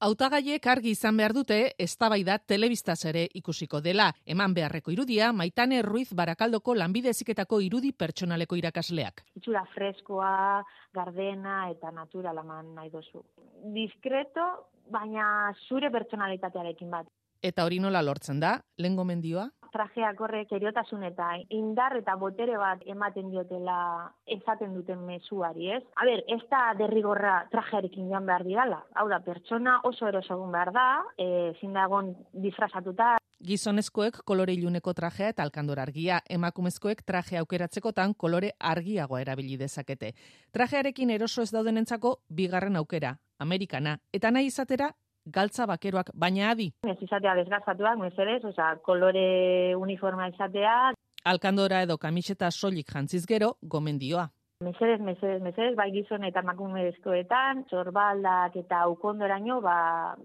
Hautagaiek argi izan behar dute eztabaida telebistaz ere ikusiko dela. Eman beharreko irudia Maitane Ruiz Barakaldoko Lanbide Heziketako irudi pertsonaleko irakasleak. Itxura freskoa, gardena eta naturala eman nahi duzu. Diskreto, baina zure pertsonalitatearekin bat. Eta hori nola lortzen da? Lehen gomendioa? Trajeak horrek eriotasun eta indar eta botere bat ematen diotela esaten duten mezuari, ez? A ber, ez da derrigorra trajearekin joan behar didala. Hau da, pertsona oso erosogun behar da, ezin da egon disfrazatuta. Gizonezkoek kolore iluneko trajea eta alkandor argia, emakumezkoek traje aukeratzekotan kolore argiagoa erabili dezakete. Trajearekin eroso ez daudenentzako bigarren aukera, Amerikana, eta nahi izatera galtza bakeroak, baina adi. Ez izatea desgazatuak, mesedez, kolore uniforma izatea. Alkandora edo kamiseta soilik jantziz gero, gomendioa. Mesedez, bai gizon eta emakumezkoetan, sorbaldak eta ukondoraino,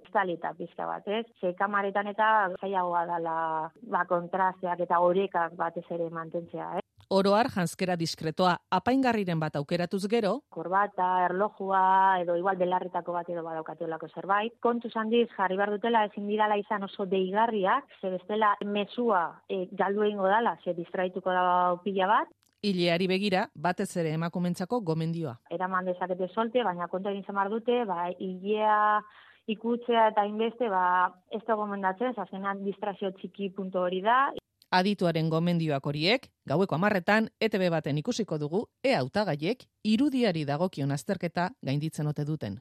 estalita pizka bat, ez? Ze kamaretan eta zailagoa dela, kontrasteak eta orekak batez ere mantentzea, ez? Oroar janzkera diskretoa, apaingarriren bat aukeratuz gero, korbata, erlojua, edo igual belarritako bat edo badaukatelako zerbait. Kontuz handiz jarri behar dutela ezin didala izan oso deigarriak, ze bestela mezua galdu egingo dala, ze distraituko da pila bat. Ileari begira, batez ere emakumentzako gomendioa. Eraman dezakete solte, baina kontu egin zamar dute, ilea ikutzea eta inbeste, ez da gomendatzen, azkenan distrazio txiki puntu hori da. Adituaren gomendioak horiek, gaueko 10etan ETB baten ikusiko dugu, hautagaiek irudiari dagokion azterketa gainditzen ote duten.